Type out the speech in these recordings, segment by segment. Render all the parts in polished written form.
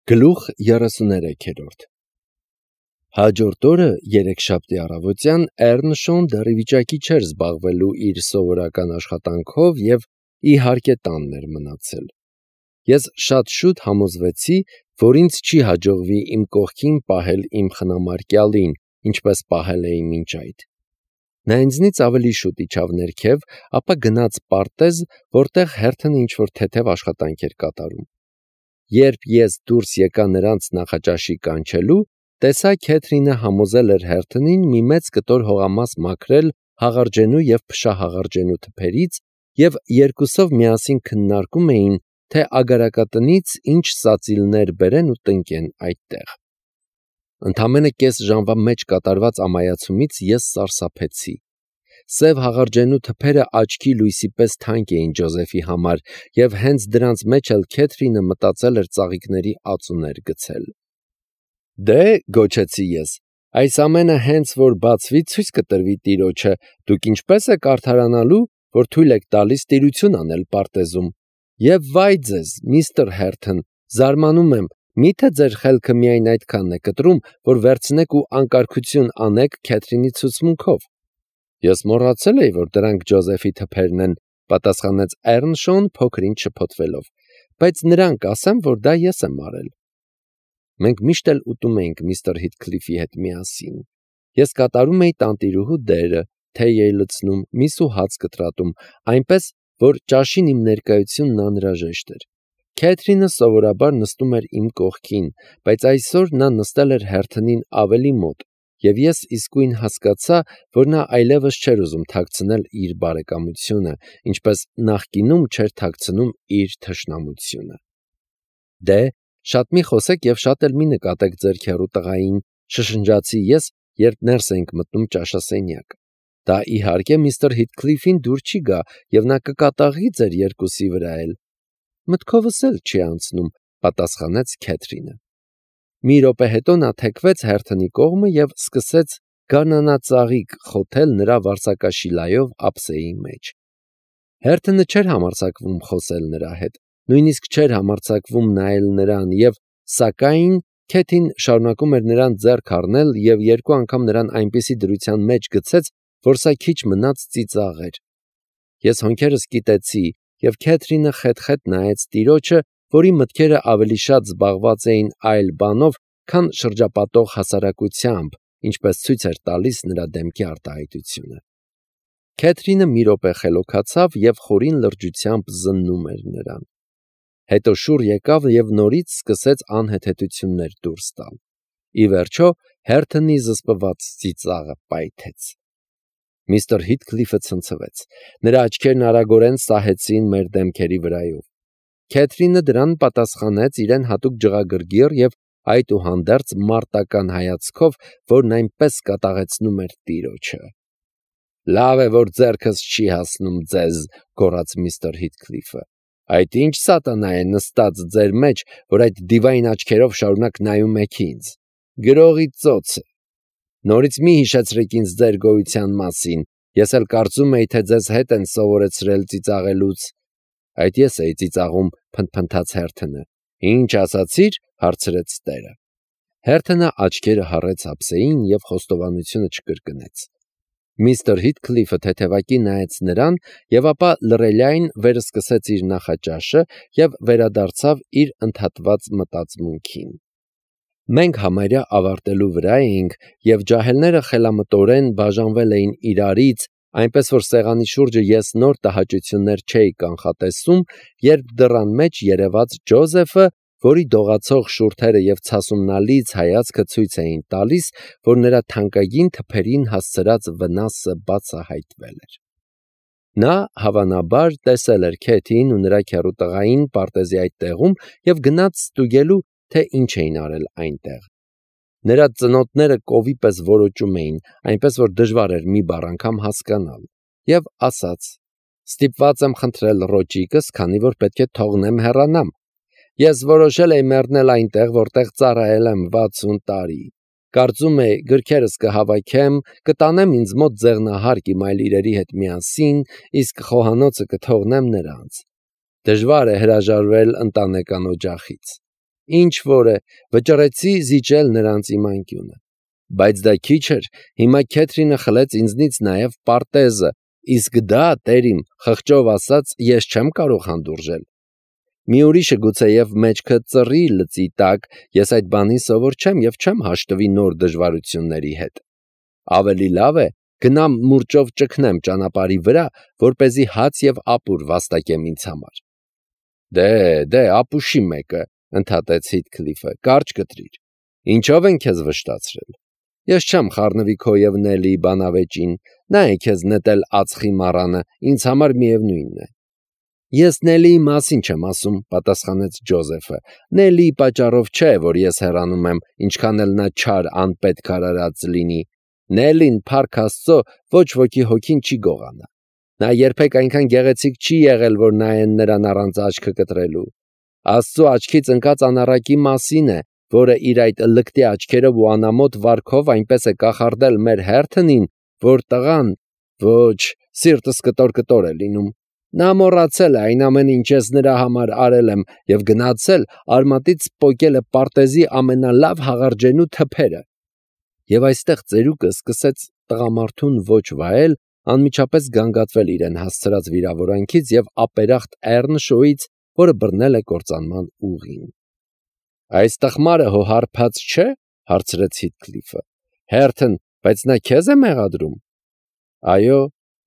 Գլուխ 33-րդ Հաջորդ օրը երեքշաբթի առավոտյան Էռնշոն դեռ ի վիճակի չէր զբաղվելու իր սովորական աշխատանքով և իհարկե տանն էր մնացել։ Ես շատ շուտ համոզվեցի, որ ինձ չի հաջողվի իմ կողքին պահել իմ խնամարկյալին, ինչպես պահել էի մինչ այդ։ Նա ինձնից ավելի շուտ իջավ ներքև, ապա գնաց պարտեզ, որտեղ հերթն ինչ-որ թեթև աշխատանք էր կատարում։ Երբ ես դուրս եկա նրանց նախաճաշի կանչելու, տեսա Քեթրինը համոզել էր հերթնին մի մեծ կտոր հողամաս մաքրել հաղարջենու և փշահաղարջենու թփերից և երկուսով միասին քննարկում էին, թե ագարակատնից ինչ սածիլներ բերեն ու տնկեն այդտեղ։ Ընդամենը կես ժամվա մեջ կատարված ամայացումից ես սարսափեցի։ Սև հաղարջենու թփերը աչքի լույսի պես թանկ էին Ջոզեֆի համար, և հենց դրանց մեջ էլ Քեթրինը մտածել էր ծաղիկների ածուներ գցել։ «Դե՛, – գոչեցի ես, – այս ամենը հենց որ բացվի, ցույց կտրվի տիրոջը, դուք ինչպե՞ս եք արդարանալու, որ թույլ եք տալիս տիրություն անել պարտեզում։ Եվ վայ ձեզ, միստր Հերթն, զարմանում եմ, մի՞թե ձեր խելքը միայն այդքանն է կտրում, որ վերցնեք ու անկարգություն անեք Քեթրինի ցուցմունքով»։ «Ես մոռացել էի, որ դրանք Ջոզեֆի թփերն են, – պատասխանեց Էռնշոն փոքր-ինչ շփոթվելով, – բայց նրան կասեմ, որ դա ես եմ արել»։ Մենք միշտ էլ ուտում էինք միստր Հիթքլիֆի հետ միասին։ Ես կատարում էի տանտիրուհու դերը, թեյ էի լցնում, միս ու հաց կտրատում, այնպես, որ ճաշին իմ ներկայությունն անհրաժեշտ էր։ Քեթրինը սովորաբար նստում էր իմ կողքին, բայց այսօր նա նստել էր հերթնին ավելի մոտ, և ես իսկույն հասկացա, որ նա այլևս չէր ուզում թաքցնել իր բարեկամությունը, ինչպես նախկինում չէր թաքցնում իր թշնամությունը։ «Դե, շատ մի խոսեք և շատ էլ մի նկատեք ձեր քեռու տղային», – շշնջացի ես, երբ ներս էինք մտնում ճաշասենյակ։ «Դա իհարկե միստր Հիթքլիֆին դուր չի գա, և նա կկատաղի ձեր երկուսի վրա էլ»։ «Մտքովս էլ չի անցնում», – պատասխանեց Քեթրինը։ Մի րոպե հետո նա թեքվեց հերթնի կողմը և սկսեց գարնանածաղիկ խոթել նրա վարսակաշիլայով ափսեի մեջ։ Հերթը չէր համարձակվում խոսել նրա հետ, նույնիսկ չէր համարձակվում նայել նրան, և սակայն Քեթին շարունակում էր նրան ձեռք առնել և երկու անգամ նրան այնպիսի դրության մեջ գցեց, որ սա քիչ մնաց ծիծաղեր։ Ես հոնքերս կիտեցի, և Քեթրինը խեթ-խեթ նայեց տիրոջը, որի մտքերը ավելի շատ զբաղված էին այլ բանով, քան շրջապատող հասարակությամբ, ինչպես ցույց էր տալիս նրա դեմքի արտահայտությունը։ Քեթրինը մի րոպե խելոքացավ և խորին լրջությամբ զննում էր նրան։ Հետո շուռ եկավ և նորից սկսեց անհեթեթություններ դուրս տալ։ Ի վերջո հերթնի զսպված ծիծաղը պայթեց։ Միստր Հիթքլիֆը ցնցվեց։ Նրա աչքերն արագորեն սահեցին մեր դեմքերի վրայով։ Քեթրինը դրան պատասխանեց իրեն հատուկ ջղագրգիռ և այդուհանդերձ մարտական հայացքով, որն այնպես կատաղեցնում էր տիրոջը։ «Լավ է, որ ձեռքս չի հասնում ձեզ», – գոռաց միստր Հիթքլիֆը։ «Այդ ի՞նչ սատանա է նստած ձեր մեջ, որ այդ դիվային աչքերով շարունակ նայում եք ինձ։ Գրողի ծոցը։ Նորից մի հիշեցրեք ինձ ձեր գոյության մասին, ես էլ կարծում էի, թե ձեզ հետ են սովորեցրել ծիծաղելուց»։ «Այդ ես էի ծիծաղում», – փնթփնթաց Հերթնը։ «Ինչ ասացիր», – հարցրեց տերը։ Հերթնը աչքերը հառեց ափսեին և խոստովանությունը չկրկնեց։ Միստր Հիթքլիֆը թեթևակի նայեց նրան և ապա լռելյայն վերսկսեց իր նախաճաշը և վերադարձավ իր ընդհատված մտածմունքին։ Մենք համարյա ավարտելու վրա էինք, և ջահելները խելամտորեն բաժանվել էին իրարից, այնպես որ սեղանի շուրջը ես նոր տհաճություններ չէի կանխատեսում, երբ դռան մեջ երևաց Ջոզեֆը, որի դողացող շուրթերը և ցասումնալից հայացքը ցույց էին տալիս, որ նրա թանկագին թփերին հասցրած վնասը բացահայտվել էր։ Նա, հավանաբար, տեսել էր Քեթին ու նրա քեռու տղային պարտեզի այդ տեղում և գնաց ստուգելու, թե ինչ էին արել այնտեղ։ Նրա ծնոտները կովի պես որոճում էին, այնպես որ դժվար էր մի բառ անգամ հասկանալ, և ասաց. «Ստիպված եմ խնդրել ռոճիկս, քանի որ պետք է թողնեմ հեռանամ։ Ես որոշել էի մեռնել այնտեղ, որտեղ ծառայել եմ 60 տարի։ Կարծում էի, գրքերս կհավաքեմ, կտանեմ ինձ մոտ ձեղնահարկ իմ այլ իրերի հետ միասին, իսկ խոհանոցը կթողնեմ նրանց։ Դժվար է հրաժարվել ընտանեկան օջախից։ Ինչ որ է, վճռեցի զիջել նրանց իմ անկյունը։ Բայց դա քիչ էր, հիմա Քեթրինը խլեց ինձնից նաև պարտեզը, իսկ դա, տեր իմ, խղճով ասած, ես չեմ կարող հանդուրժել։ Մի ուրիշը գուցեև մեջքը ծռի լծի տակ, ես այդ բանին սովոր չեմ և չեմ հաշտվի նոր դժվարությունների հետ։ Ավելի լավ է, գնամ մուրճով ճգնեմ ճանապարհի վրա, որպեսզի հաց և ապուր վաստակեմ ինձ համար։ Դե, ապուշի մեկը, ընդհատեց Հիթքլիֆը, կարճ կտրիր։ Ինչով են քեզ վշտացրել։ Ես չեմ խառնվի քո և Նելիի բանավեճին, նա է քեզ նետել ածխի մառանը, ինձ համար միևնույնն է։ Ես Նելիի մասին չեմ ասում, պատասխանեց Ջոզեֆը։ Նելիի պատճառով չէ, որ ես հեռանում եմ, ինչքան էլ նա չար անպետք արարած լինի։ Նելին, փառք Աստծո, ոչ ոքի հոգին չի գողանա։ Նա երբեք այնքան գեղեցիկ չի եղել, որ նայեն նրան առանց աչքը կտրելու։ Աստծո աչքից ընկած անառակի մասին է, որը իր այդ լկտի աչքերով ու անամոթ վարքով այնպես է կախարդել մեր հերթնին, որ տղան, ոչ, սիրտս կտոր է լինում։ Նա մոռացել է այն ամենը, ինչ ես նրա համար արել եմ, և գնացել արմատից պոկել է պարտեզի ամենալավ հաղարջենու թփերը։ Եվ այստեղ ծերուկը սկսեց տղամարդուն ոչ վայել, անմիջապես գանգատվել իրեն հասցրած վիրավորանքից և ապերախտ Էռնշոյից, որը բռնել է կործանման ուղին։ Այս տխմարը հո հարբած չէ, հարցրեց Հիթքլիֆը։ Հերթն, բայց նա քեզ է մեղադրում։ Այո,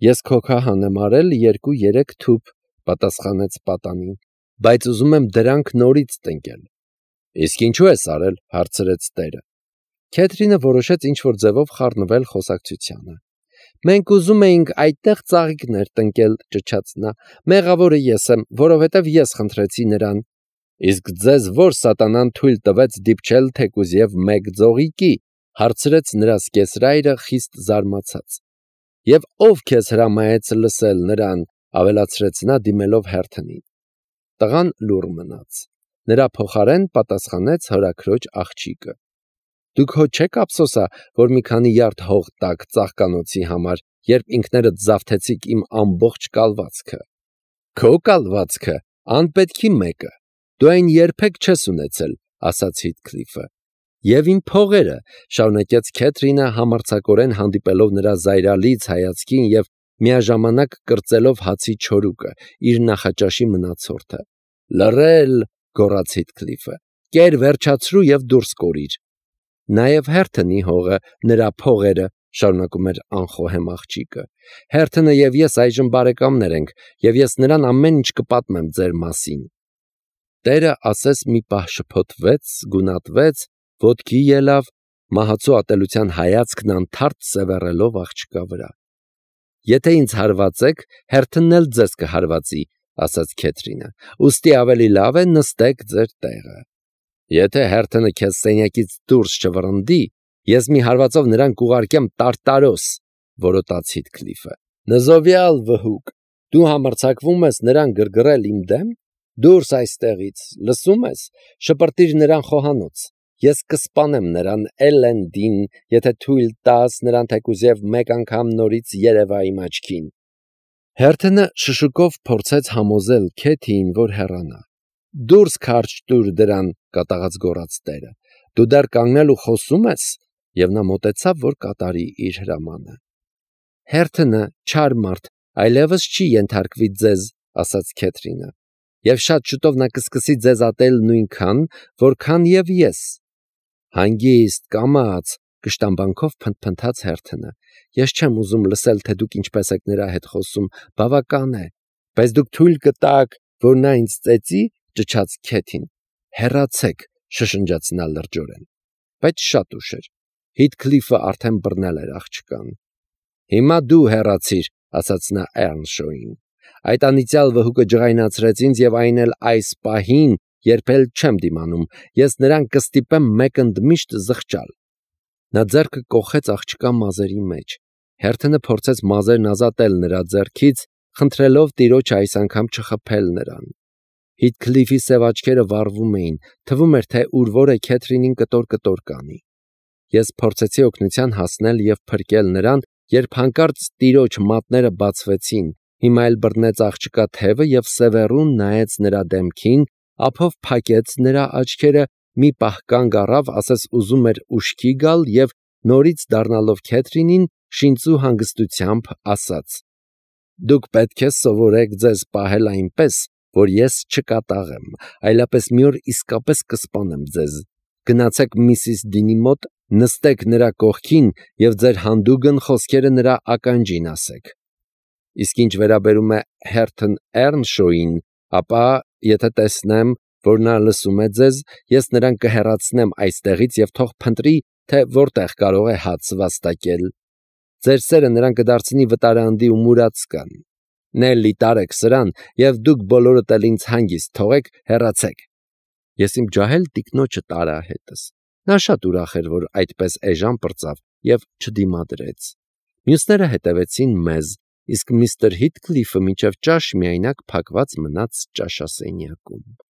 ես քո քահան եմ արել 2-3 թուփ, պատասխանեց պատանին, բայց ուզում եմ դրանք նորից տնկել։ Իսկ ինչու ես արել, հարցրեց տերը։ Քեթրինը որոշեց ինչ-որ ձևով խառնվել խոսակցությանը։ Մենք ուզում էինք այդտեղ ծաղիկներ տնկել, ճչաց նա։ Մեղավորը ես եմ, որովհետև ես խնդրեցի նրան։ Իսկ ձեզ ո՞ր սատանան թույլ տվեց դիպչել թեկուզ և մեկ ձողիկի, հարցրեց նրա սկեսրայրը խիստ զարմացած։ Եվ ով քեզ հրամայեց լսել նրան, ավելացրեց նա դիմելով հերթնին։ Տղան լուռ մնաց։ Նրա փոխարեն պատասխանեց հորաքրոջ աղջիկը։ Դուք հո չեք ափսոսա, որ մի քանի յարդ հող տաք ծաղկանոցի համար, երբ ինքներդ զավթեցիք իմ ամբողջ կալվածքը։ Քո կալվածքը, անպետքի մեկը, դու այն երբեք չես ունեցել, ասաց Հիթքլիֆը։ Եվ իմ փողերը, շարունակեց Քեթրինը համարձակորեն հանդիպելով նրա զայրալից հայացքին և միաժամանակ կրծելով հացի չորուկը, իր նախաճաշի մնացորդը։ Լռել, գոռաց Հիթքլիֆը, կեր վերջացրու և դուրս կորիր։ Նաև հերթնի հողը, նրա փողերը, շարունակում էր անխոհեմ աղջիկը։ Հերթնը և ես այժմ բարեկամներ ենք, և ես նրան ամեն ինչ կպատմեմ ձեր մասին։ Տերը ասես մի պահ շփոթվեց, գունատվեց, ոտքի ելավ, մահացու ատելության հայացքն անթարթ սևեռելով աղջկա վրա։ Եթե ինձ հարվածեք, հերթնն էլ ձեզ կհարվածի, ասաց Քեթրինը, ուստի ավելի լավ է նստեք ձեր տեղը։ Եթե հերթնը քեզ սենյակից դուրս չվռնդի, ես մի հարվածով նրան կուղարկեմ Տարտարոս, որոտաց Հիթքլիֆը։ Նզովյալ վհուկ, դու համարձակվում ես նրան գրգռել իմ դեմ։ Դուրս այստեղից, լսում ես, շպրտիր նրան խոհանոց։ Ես կսպանեմ նրան Էլենդին, եթե թույլ տաս նրան թեկուզև մեկ անգամ նորից երևա իմ աչքին։ Հերթնը շշուկով փորձեց համոզել Քեթիին, որ հեռանա։ Դուրս քարջ տուր դրան, կատաղած գոռաց տերը։ Դու դեռ կանգնել ու խոսում ես, և նա մոտեցավ, որ կատարի իր հրամանը։ Հերթնը չար մարդ, այլևս չի ենթարկվի ձեզ, ասաց Քեթրինը, և շատ շուտով նա կսկսի ձեզ ատել նույնքան, որքան և ես։ Հանգիստ, կամաց, կշտամբանքով փնթփնթաց հերթնը։ Ես չեմ ուզում լսել, թե դուք ինչպես եք նրա հետ խոսում, բավական է, բայց դուք թույլ կտաք, որ նա ինձ ծեծի, ճչաց Քեթին։ Հեռացեք, շշնջաց նա լրջորեն։ Բայց շատ ուշ էր։ Հիթքլիֆը արդեն բռնել էր աղջկան։ Հիմա դու հեռացիր, ասաց նա Էռնշոյին։ Այդ անիծյալ վհուկը ջղայնացրեց ինձ և այն էլ այս պահին, երբ էլ չեմ դիմանում, ես նրան կստիպեմ մեկ ընդմիշտ զղջալ։ Նա ձեռքը կոխեց աղջկա մազերի մեջ։ Հերթնը փորձեց մազերն ազատել նրա ձեռքից, խնդրելով տիրոջը այս անգամ չխփել նրան։ Հիթքլիֆի սև աչքերը վառվում էին, թվում էր, թե ուր-որ է Քեթրինին կտոր կանի։ Ես փորձեցի օգնության հասնել և փրկել նրան, երբ հանկարծ տիրոջ մատները բացվեցին, հիմա էլ բռնեց աղջկա թևը և սևեռուն նայեց նրա դեմքին, ափով փակեց նրա աչքերը, մի պահ կանգ առավ, ասես ուզում էր ուշքի գալ և նորից դառնալով Քեթրինին, շինծու հանգստությամբ ասաց. «Դուք պետք է սովորեք ձեզ պահել այնպես, որ ես չկատաղեմ, այլապես մի օր իսկապես կսպանեմ ձեզ։ Գնացեք Միսիս Դինի մոտ, նստեք նրա կողքին և ձեր հանդուգն խոսքերը նրա ականջին ասեք։ Իսկ ինչ վերաբերում է Հերթն Էռնշոուին, ապա եթե տեսնեմ, որ նա լսում է ձեզ, ես նրան կհեռացնեմ այստեղից և թող փնտրի, թե որտեղ կարող է հաց վաստակել։ Ձեր սերը նրան կդարձնի վտարանդի ու մուրացկան։ Նելլի, տարեք սրան, և դուք բոլորդ էլ ինձ հանգիստ թողեք, հեռացեք»։ Ես իմ ջահել տիկնոջը տարա հետս։ Նա շատ ուրախ էր, որ այդպես էժան պրծավ և չդիմադրեց։ Մյուսները հետևեցին մեզ, իսկ միստր Հիթքլիֆը մինչև ճաշ միայնակ փակված մնաց ճաշասենյակում։